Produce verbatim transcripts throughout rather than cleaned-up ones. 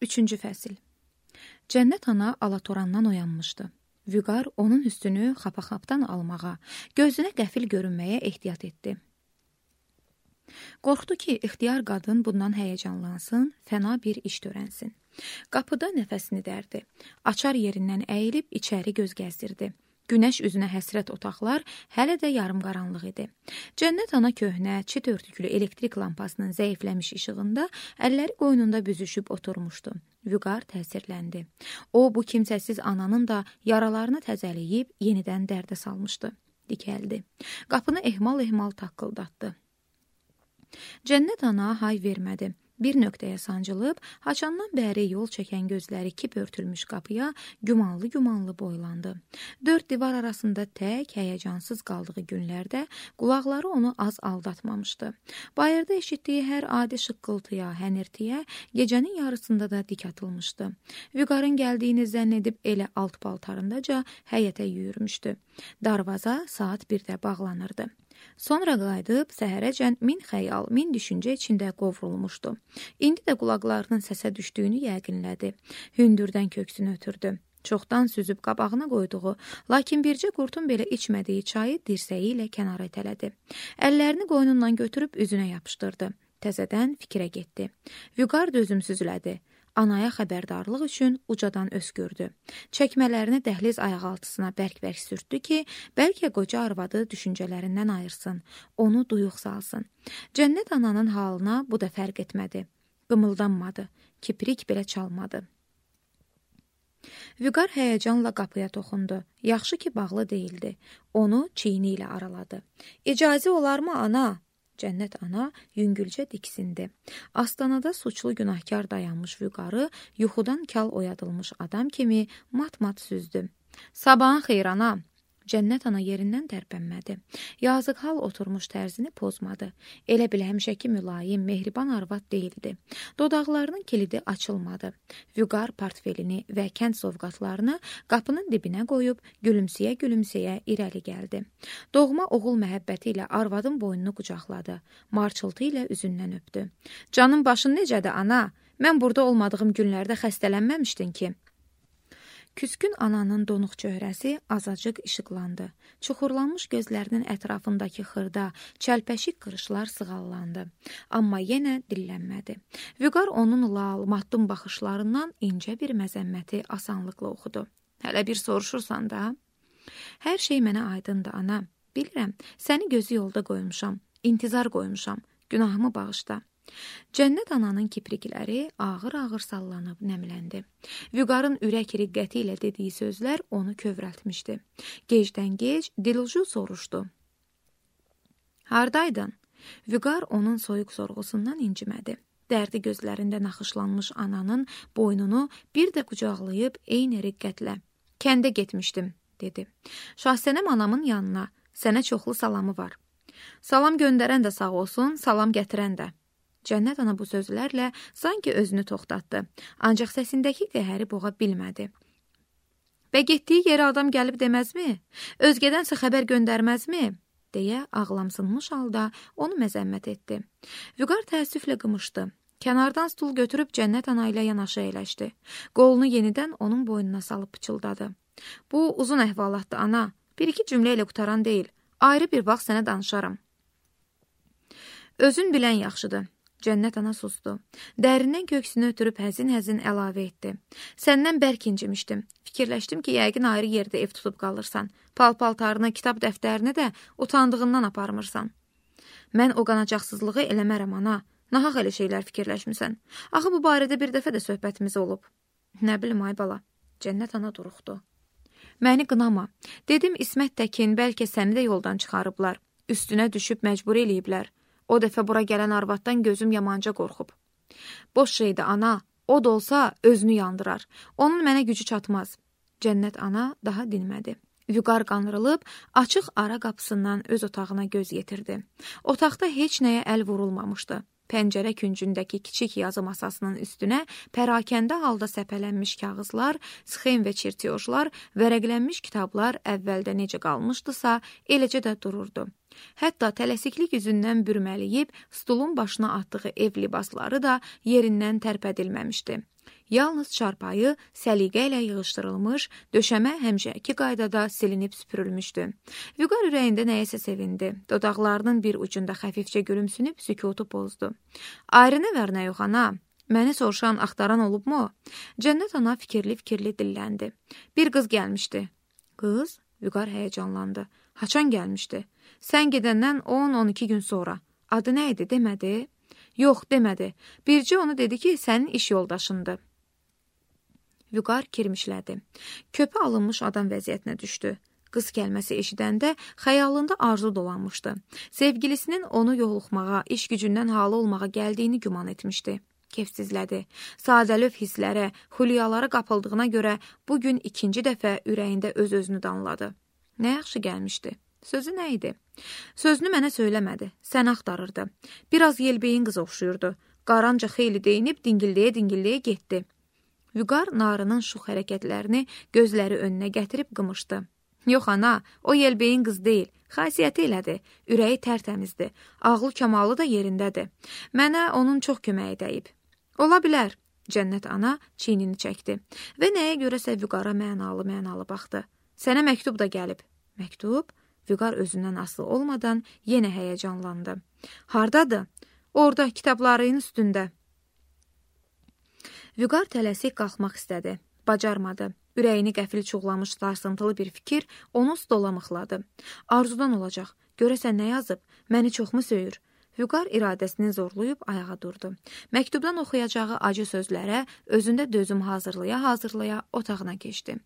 Üçüncü fəsil. Cənnət ana alatorandan oyanmışdı. Vüqar onun üstünü xapaxapdan almağa, gözünə qəfil görünməyə ehtiyat etdi. Qorxdu ki, ixtiyar qadın bundan həyəcanlansın, fəna bir iş törənsin. Qapıda nəfəsini dərdi. Açar yerindən əyilib içəri göz gəzdirdi. Günəş üzünə həsrət otaqlar hələ də yarım qaranlıq idi. Cənnət ana köhnə, çit örtüklü elektrik lampasının zəifləmiş işığında əlləri qoynunda büzüşüb oturmuşdu. Vüqar təsirləndi. O, bu kimsəsiz ananın da yaralarını təzələyib yenidən dərdə salmışdı. Dikəldi. Qapını ehmal-ehmal taqqıldatdı. Cənnət ana hay vermədi. Bir nöqtəyə sancılıb, haçandan bəri yol çəkən gözləri kip örtülmüş qapıya gümanlı-gümanlı boylandı. Dörd divar arasında tək, həyəcansız qaldığı günlərdə qulaqları onu az aldatmamışdı. Bayırda eşitdiyi hər adi şıqqıltıya, hənirtiyə gecənin yarısında da dik atılmışdı. Vüqarın gəldiyini zənn edib elə alt paltarındaca həyətə yürümüşdü. Darvaza saat birdə bağlanırdı. Sonra qayıdıb səhərəcən min xəyal, min düşüncə içində qovrulmuşdu. İndi də qulaqlarının səsə düşdüyünü yəqinlədi. Hündürdən köksünü ötürdü. Çoxdan süzüb qabağına qoyduğu, lakin bircə qurtun belə içmədiyi çayı dirsəyi ilə kənara itələdi. Əllərini qoynundan götürüb üzünə yapışdırdı. Təzədən fikrə getdi. Vüqar dözümsüzlədi. Anaya xəbərdarlıq üçün ucadan öskürdü. Çəkmələrini dəhliz ayaqaltısına bərk-bərk sürtdü ki, bəlkə qoca arvadı düşüncələrindən ayırsın, onu duyuq salsın. Cənnət ananın halına bu da fərq etmədi. Qımıldanmadı, kiprik belə çalmadı. Vüqar həyəcanla qapıya toxundu. Yaxşı ki, bağlı deyildi. Onu çiyini ilə araladı. İcazə olarmı, ana? Cənnət ana yüngülcə diksindi. Astanada suçlu günahkar dayanmış Vüqarı yuxudan kal oyadılmış adam kimi mat-mat süzdü. Sabahın xeyir, ana. Cənnət ana yerindən tərpənmədi. Yazıq hal oturmuş tərzini pozmadı. Elə bil həmişəki mülayim, mehriban arvad deyildi. Dodaqlarının kilidi açılmadı. Vüqar portfelini və kənd sovqatlarını qapının dibinə qoyub gülümsəyə-gülümsəyə irəli gəldi. Doğma oğul məhəbbəti ilə arvadın boynunu qucaqladı. Marçıltı ilə üzündən öpdü. Canın başın necədir, ana? Mən burada olmadığım günlərdə xəstələnməmişdin ki. Küskün ananın donuq çöhrəsi azacıq işıqlandı. Çuxurlanmış gözlərinin ətrafındakı xırda, çəlpəşik qırışlar sığallandı. Amma yenə dillənmədi. Vüqar onun lal, matdum baxışlarından incə bir məzəmməti asanlıqla oxudu. Hələ bir soruşursan da? Hər şey mənə aydındır, ana. Bilirəm, səni gözü yolda qoymuşam, intizar qoymuşam, günahımı bağışla. Cənnət ananın kiprikləri ağır-ağır sallanıb nəmləndi. Vüqarın ürək riqqəti ilə dediyi sözlər onu kövrəltmişdi. Gecdən gec Dilulcu soruşdu. Hardaydın? Vüqar onun soyuq sorğusundan incimədi. Dərdi gözlərində naxışlanmış ananın boynunu bir də qucaqlayıb eyni riqqətlə. Kəndə getmişdim, dedi. Şahsənəm anamın yanına, sənə çoxlu salamı var. Salam göndərən də sağ olsun, salam gətirən də. Cənnət ana bu sözlərlə sanki özünü toxtatdı, ancaq səsindəki qəhəri boğa bilmədi. Və getdiyi yerə adam gəlib deməzmi? Özgədənsə xəbər göndərməzmi? Deyə ağlamsınmış halda onu məzəmmət etdi. Vüqar təəssüflə qımışdı. Kənardan stul götürüb Cənnət ana ilə yanaşı əyləşdi. Qolunu yenidən onun boynuna salıb pıçıldadı. Bu uzun əhvalatdır, ana. Bir-iki cümlə ilə qutaran deyil. Ayrı bir vaxt sənə danışaram. Özün bilən yaxşıdır. Cənnət ana sustu. Dərindən köksünü ötürüb həzin-həzin əlavə etdi. Səndən bərk incimişdim. Fikirləşdim ki, yəqin ayrı yerdə ev tutub qalırsan. Pal-paltarını, kitab dəftərini də utandığından aparmırsan. Mən o qanacaqsızlığı eləmərəm, ana. Nahaq elə şeylər fikirləşmisən. Axı bu barədə bir dəfə də söhbətimiz olub. Nə bilim, ay bala. Cənnət ana duruxdu. Məni qınama. Dedim, İsmət Təkin, bəlkə səni də yoldan çıxarıblar. Üstünə düşüb məcbur eləyiblər. O dəfə bura gələn arvaddan gözüm yamanca qorxub. Boş şeydir, ana. O da olsa özünü yandırar. Onun mənə gücü çatmaz. Cənnət ana daha dinmədi. Vüqar qanrılıb, açıq ara qapısından öz otağına göz yetirdi. Otaqda heç nəyə əl vurulmamışdı. Pəncərə küncündəki kiçik yazı masasının üstünə pərakəndə halda səpələnmiş kağızlar, sxem və çirtiyojlar, vərəqlənmiş kitablar əvvəldə necə qalmışdısa, eləcə də dururdu. Hətta tələsiklik üzündən bürməliyib, stulun başına atdığı ev libasları da yerindən tərpədilməmişdi. Yalnız çarpayı səliqə ilə yığışdırılmış, döşəmə həmişəki qaydada silinib süpürülmüşdü. Vüqar ürəyində nəyəsə sevindi. Dodaqlarının bir ucunda xəfifcə gülümsünüb sükutu pozdu. Ayrı nə var nə yox ana? Məni soruşan, axtaran olubmu? Cənnət ana fikirli-fikirli dilləndi. Bir qız gəlmişdi. Qız? Vüqar həyəcanlandı. Haçan gəlmişdi? Sən gedəndən on on iki gün sonra. Adı nə idi, demədi? Yox, demədi. Bircə onu dedi ki, sənin iş yoldaşındır. Vüqar kirmişlədi. Köpə alınmış adam vəziyyətinə düşdü. Qız kəlməsi eşidəndə xəyalında arzu dolanmışdı. Sevgilisinin onu yoluxmağa, iş gücündən halı olmağa gəldiyini güman etmişdi. Kefsizlədi. Sadəlöv hisslərə, xülyalara qapıldığına görə bugün ikinci dəfə ürəyində öz-özünü danladı. Nə yaxşı gəlmişdi. Sözü nə idi? Sözünü mənə söyləmədi. Sən axtarırdı. Biraz yelbeyin qız oxşuyurdu. Qaranca xeyli deyinib dingilləyə-dingilləyə getdi. Vüqar narının şux hərəkətlərini gözləri önünə gətirib qımışdı. Yox ana, o yelbeyin qız deyil. Xasiyyəti elədir. Ürəyi tərtəmizdir. Ağlı kamalı da yerindədir. Mənə onun çox köməyi dəyib. Ola bilər. Cənnət ana çiynini çəkdi və nəyə görəsə Vüqara mənalı-mənalı baxdı. Sənə məktub da gəlib. Məktub? Vüqar özündən asılı olmadan yenə həyəcanlandı. Hardadır? Orada, kitabların üstündə. Vüqar tələsik qalxmaq istədi. Bacarmadı. Ürəyini qəfil çuğlamış sarsıntılı bir fikir onu stola mıxladı. Arzudan olacaq. Görəsən nə yazıb? Məni çoxmu söyür? Vüqar iradəsini zorlayıb ayağa durdu. Məktubdan oxuyacağı acı sözlərə özündə dözüm hazırlaya-hazırlaya otağına keçdi.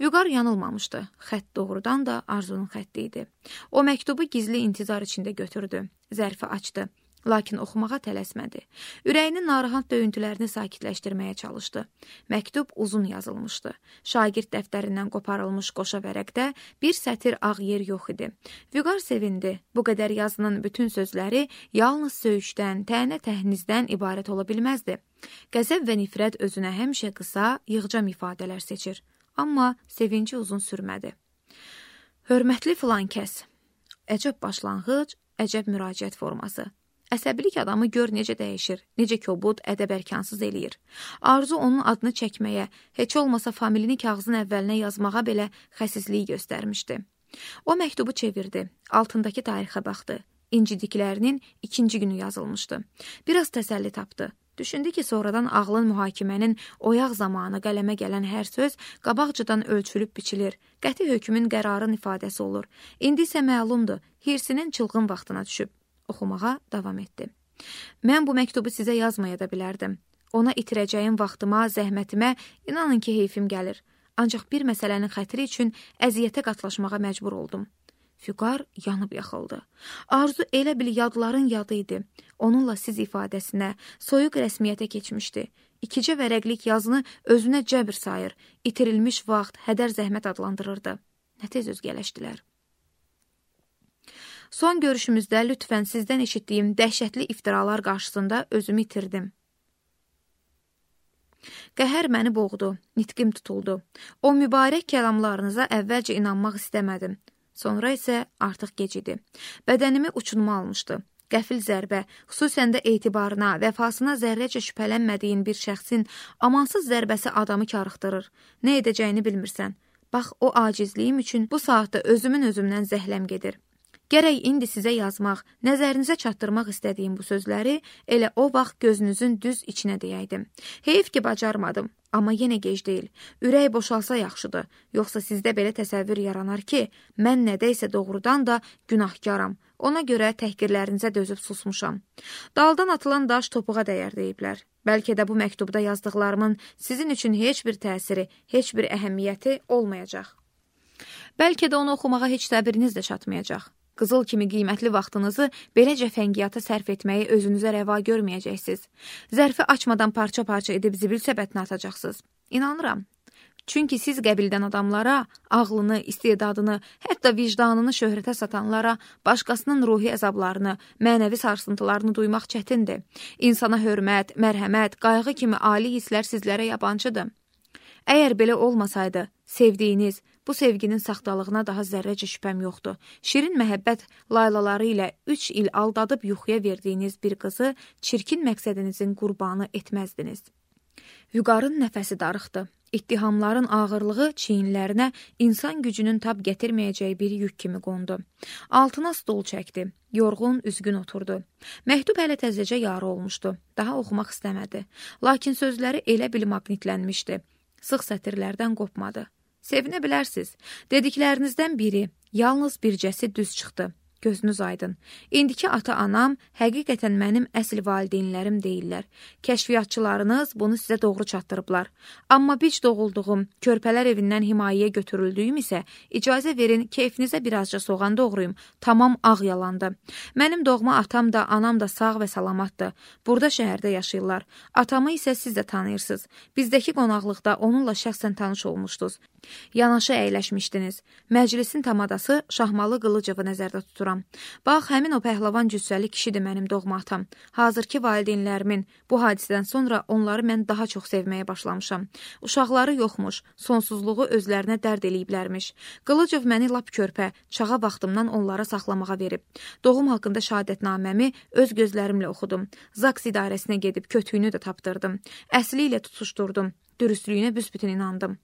Vüqar yanılmamışdı. Xətt doğrudan da Arzunun xətti idi. O məktubu gizli intizar içində götürdü. Zərfi açdı. Lakin oxumağa tələsmədi. Ürəyinin narahat döyüntülərini sakitləşdirməyə çalışdı. Məktub uzun yazılmışdı. Şagird dəftərindən qoparılmış qoşa vərəqdə bir sətir ağ yer yox idi. Vüqar sevindi. Bu qədər yazının bütün sözləri yalnız söyüşdən, tənə-təhnizdən ibarət ola bilməzdi. Qəzəb və nifrət özünə həmişə qısa, yığcam ifadələr seçir. Amma sevinci uzun sürmədi. Hörmətli filan kəs. Əcəb başlanğıc, əcəb müraciət forması. Əsəbilik adamı gör necə dəyişir, necə kobud, ədəb-ərkansız eləyir. Arzu onun adını çəkməyə, heç olmasa familini kağızın əvvəlinə yazmağa belə xəsisliyi göstərmişdi. O məktubu çevirdi, altındakı tarixə baxdı. İncidiklərinin ikinci günü yazılmışdı. Biraz təsəlli tapdı. Düşündü ki, sonradan ağlın mühakimənin oyaq zamanı qələmə gələn hər söz qabaqcadan ölçülüb biçilir, qəti hökmün qərarın ifadəsi olur. İndi isə məlumdur, hirsinin çılğın vaxtına düşüb. Oxumağa davam etdi. Mən bu məktubu sizə yazmaya da bilərdim. Ona itirəcəyim vaxtıma, zəhmətimə inanın ki, heyfim gəlir. Ancaq bir məsələnin xətri üçün əziyyətə qatlaşmağa məcbur oldum. Vüqar yanıb yaxıldı. Arzu elə bil yadların yadı idi. Onunla siz ifadəsinə, soyuq rəsmiyyətə keçmişdi. İkicə vərəqlik yazını özünə cəbr sayır, itirilmiş vaxt, hədər zəhmət adlandırırdı. Nə tez özgələşdilər. Son görüşümüzdə lütfən sizdən eşitdiyim dəhşətli iftiralar qarşısında özümü itirdim. Qəhər məni boğdu, nitqim tutuldu. O mübarək kəlamlarınıza əvvəlcə inanmaq istəmədim. Sonra isə artıq gec idi. Bədənimi uçunma almışdı. Qəfil zərbə, xüsusən də etibarına, vəfasına zərrəcə şübhələnmədiyin bir şəxsin amansız zərbəsi adamı karıxdırır. Nə edəcəyini bilmirsən. Bax, o acizliyim üçün bu saatda özümün özümdən zəhləm gedir. Gərək indi sizə yazmaq, nəzərinizə çatdırmaq istədiyim bu sözləri elə o vaxt gözünüzün düz içinə deyəydim. Heyf ki, bacarmadım, amma yenə gec deyil. Ürək boşalsa yaxşıdır, yoxsa sizdə belə təsəvvür yaranar ki, mən nədəysə doğrudan da günahkaram. Ona görə təhqirlərinizə dözüb susmuşam. Daldan atılan daş topuğa dəyər deyiblər. Bəlkə də bu məktubda yazdıqlarımın sizin üçün heç bir təsiri, heç bir əhəmiyyəti olmayacaq. Bəlkə də onu oxumağa heç səbriniz də çatmayacaq. Qızıl kimi qiymətli vaxtınızı belə cəfəngiyyata sərf etməyi özünüzə rəva görməyəcəksiniz. Zərfi açmadan parça-parça edib zibil səbətinə atacaqsınız. İnanıram. Çünki siz qəbildən adamlara, ağlını, istedadını, hətta vicdanını şöhrətə satanlara, başqasının ruhi əzablarını, mənəvi sarsıntılarını duymaq çətindir. İnsana hörmət, mərhəmət, qayğı kimi ali hisslər sizlərə yabancıdır. Əgər belə olmasaydı, sevdiyiniz, bu sevginin saxtalığına daha zərrəcə şübhəm yoxdur. Şirin məhəbbət laylaları ilə üç il aldadıb yuxuya verdiyiniz bir qızı çirkin məqsədinizin qurbanı etməzdiniz. Vüqarın nəfəsi darıxdı. İttihamların ağırlığı çiyinlərinə insan gücünün tab gətirməyəcəyi bir yük kimi qondu. Altına stol çəkdi. Yorğun, üzgün oturdu. Məktub hələ təzəcə yarı olmuşdu. Daha oxumaq istəmədi. Lakin sözləri elə bil maqnitlənmişdi. Sıx sətirlərdən qopmadı. Sevinə bilərsiz. Dediklərinizdən biri, yalnız bircəsi düz çıxdı. Gözünüz aydın. İndiki ata-anam həqiqətən mənim əsl valideynlərim deyirlər. Kəşfiyyatçılarınız bunu sizə doğru çatdırıblar. Amma bic doğulduğum, körpələr evindən himayəyə götürüldüyüm isə icazə verin, keyfinizə birazca soğan doğrayım. Tamam ağ yalandı. Mənim doğma atam da, anam da sağ və salamatdır. Burada şəhərdə yaşayırlar. Atamı isə siz də tanıyırsınız. Bizdəki qonaqlıqda onunla şəxsən tanış olmuşdunuz. Yanaşı əyləşmişdiniz. Məclisin tamadası Şahmalı Qılıcığı nəzərdə tuturam. Bax, həmin o pəhləvan cüssəli kişidir mənim doğma atam. Hazırki valideynlərimin bu hadisədən sonra onları mən daha çox sevməyə başlamışam. Uşaqları yoxmuş, sonsuzluğu özlərinə dərd eləyiblərmiş. Qılıcov məni lap körpə, çağa vaxtımdan onlara saxlamağa verib. Doğum haqqında şəhadətnaməmi öz gözlərimlə oxudum. Zaks idarəsinə gedib kötüyünü də tapdırdım. Əsli ilə tutuşdurdum. Dürüstlüyünə büsbütün inandım.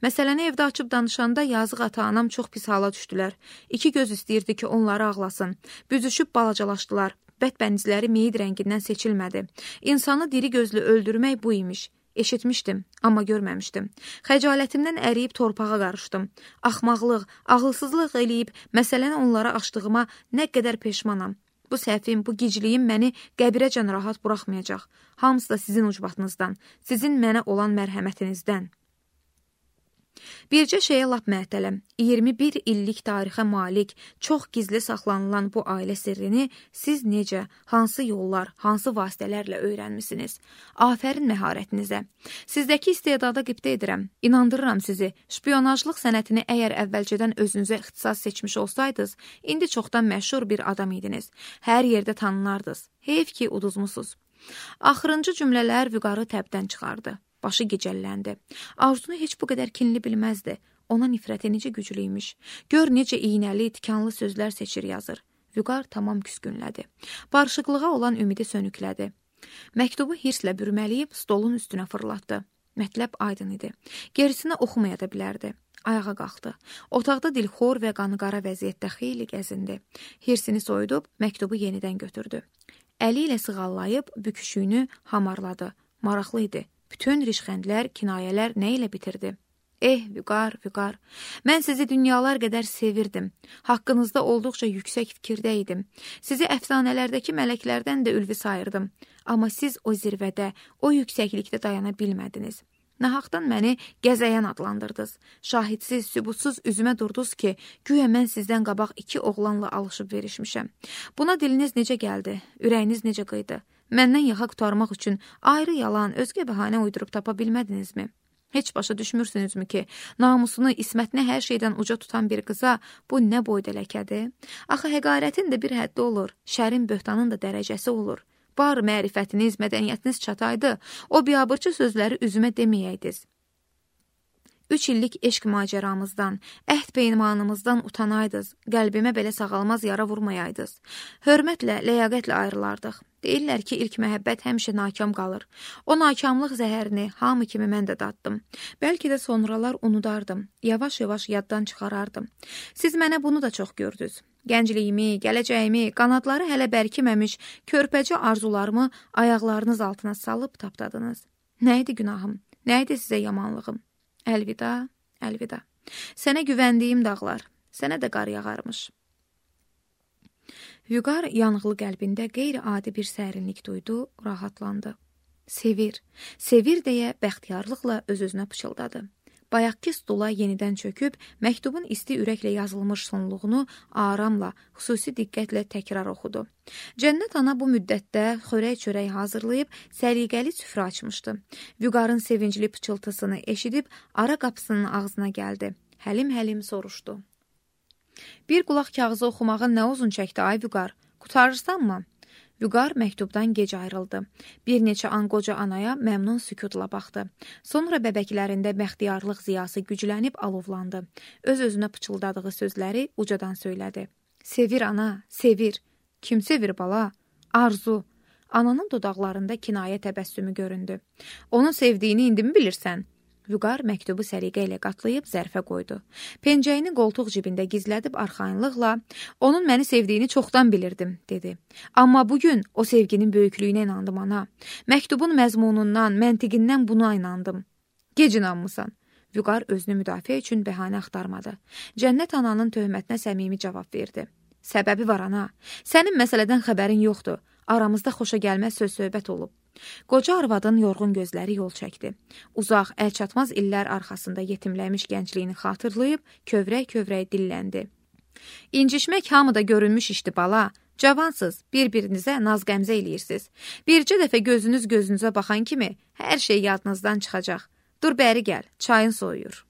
Məsələni evdə açıb danışanda yazıq ata-anam çox pis hala düşdülər. İki göz istəyirdi ki, onları ağlasın. Büzüşüb balacalaşdılar. Bədbənizləri meyid rəngindən seçilmədi. İnsanı diri gözlü öldürmək bu imiş. Eşitmişdim, amma görməmişdim. Xəcalətimdən əriyib torpağa qarışdım. Axmaqlıq, ağılsızlıq eləyib məsələni onlara açdığıma nə qədər peşmanam. Bu səhvim, bu gicliyim məni qəbirəcən rahat buraxmayacaq. Hamısı da sizin ucbatınızdan, sizin mənə olan mərhəmətinizdən. Bircə şeyə lap məhtələm, iyirmi bir illik tarixə malik, çox gizli saxlanılan bu ailə sirrini siz necə, hansı yollar, hansı vasitələrlə öyrənmisiniz? Afərin məharətinizə. Sizdəki istedada qibtə edirəm, inandırıram sizi. Şpiyonajlıq sənətini əgər əvvəlcədən özünüzə ixtisas seçmiş olsaydınız, indi çoxdan məşhur bir adam idiniz. Hər yerdə tanınardınız. Heyf ki, uduzmusuz. Axırıncı cümlələr Vüqarı təbdən çıxardı. Başı gicəlləndi. Arzunu heç bu qədər kinli bilməzdi. Ona nifrəti necə güclüymüş. Gör necə iynəli, tikanlı sözlər seçir yazır. Vüqar tamam küskünlədi. Barışıqlığa olan ümidi sönüklədi. Məktubu hirslə bürməliyib stolun üstünə fırlatdı. Mətləb aydın idi. Gerisini oxumaya da bilərdi. Ayağa qalxdı. Otaqda dilxor və qanıqara vəziyyətdə xeyli gəzindi. Hirsini soyudub məktubu yenidən götürdü. Əli ilə sığallayıb büküşüyünü hamarladı. Maraqlı idi. Bütün rişxəndlər, kinayələr nə ilə bitirdi? Eh, Vüqar, Vüqar, mən sizi dünyalar qədər sevirdim. Haqqınızda olduqca yüksək fikirdə idim. Sizi əfsanələrdəki mələklərdən də ülvi sayırdım. Amma siz o zirvədə, o yüksəklikdə dayana bilmədiniz. Nahaqdan məni gəzəyən adlandırdınız. Şahidsiz, sübutsuz üzümə durdunuz ki, güya mən sizdən qabaq iki oğlanla alışıb verişmişəm. Buna diliniz necə gəldi? Ürəyiniz necə qıydı? Məndən yaxa qutarmaq üçün ayrı yalan, özgə bəhanə uydurub tapa bilmədinizmi? Heç başa düşmürsünüzmü ki, namusunu, ismətini hər şeydən uca tutan bir qıza bu nə boyda ləkədir? Axı həqarətin də bir həddi olur, şərin böhtanın da dərəcəsi olur. Bar mərifətiniz, mədəniyyətiniz çataydı, o biabırçı sözləri üzümə deməyəydiniz. Üç illik eşq macəramızdan, əhd peymanımızdan utanaydınız, qəlbimə belə sağalmaz yara vurmayaydınız. Hörmətlə, ləyaqətlə ayrılardıq. Deyirlər ki, ilk məhəbbət həmişə nakam qalır. O nakamlıq zəhərini hamı kimi mən də daddım. Bəlkə də sonralar unudardım, yavaş-yavaş yaddan çıxarardım. Siz mənə bunu da çox gördünüz. Gəncliyimi, gələcəyimi, qanadları hələ bərkiməmiş, körpəcə arzularımı ayaqlarınız altına salıb tapdadınız. Nə idi günahım? Nə idi sizə yamanlığım? Əlvida, əlvida. Sənə güvəndiyim dağlar, sənə də qar yağarmış. Vüqar yanıqlı qəlbində qeyri-adi bir sərinlik duydu, rahatlandı. Sevir, sevir deyə bəxtiyarlıqla öz-özünə pıçıldadı. Bayaqki stula yenidən çöküb, məktubun isti ürəklə yazılmış sonluğunu aramla, xüsusi diqqətlə təkrar oxudu. Cənnət ana bu müddətdə xörək-çörək hazırlayıb, səliqəli süfrə açmışdı. Vüqarın sevincli pıçıltısını eşidib, ara qapısının ağzına gəldi. Həlim-həlim soruşdu. Bir qulaq kağızı oxumağın nə uzun çəkdi, ay Vüqar? Qutarırsanmı? Vüqar məktubdan gec ayrıldı. Bir neçə an qoca anaya məmnun sükutla baxdı. Sonra bəbəklərində bəxtiyarlıq ziyası güclənib alovlandı. Öz-özünə pıçıldadığı sözləri ucadan söylədi. Sevir ana, sevir. Kim sevir bala? Arzu. Ananın dodaqlarında kinayə təbəssümü göründü. Onun sevdiyini indi mi bilirsən? Vüqar məktubu səliqə ilə qatlayıb zərfə qoydu. Pencəyini qoltuq cibində gizlədib arxayınlıqla, onun məni sevdiyini çoxdan bilirdim, dedi. Amma bugün o sevginin böyüklüyünə inandım, ana. Məktubun məzmunundan, məntiqindən buna inandım. Gec inanmısan. Vüqar özünü müdafiə üçün bəhanə axtarmadı. Cənnət ananın töhmətinə səmimi cavab verdi. Səbəbi var, ana. Sənin məsələdən xəbərin yoxdur. Aramızda xoşa gəlməz söz-söhbət olub. Qoca arvadın yorğun gözləri yol çəkdi. Uzaq, əlçatmaz illər arxasında yetimləmiş gəncliyini xatırlayıb, kövrək-kövrək dilləndi. İncişmək hamıda görünmüş işdi, bala. Cavansız, bir-birinizə naz-qəmzə eləyirsiniz. Bircə dəfə gözünüz gözünüzə baxan kimi hər şey yadınızdan çıxacaq. Dur bəri gəl, çayın soyuyur.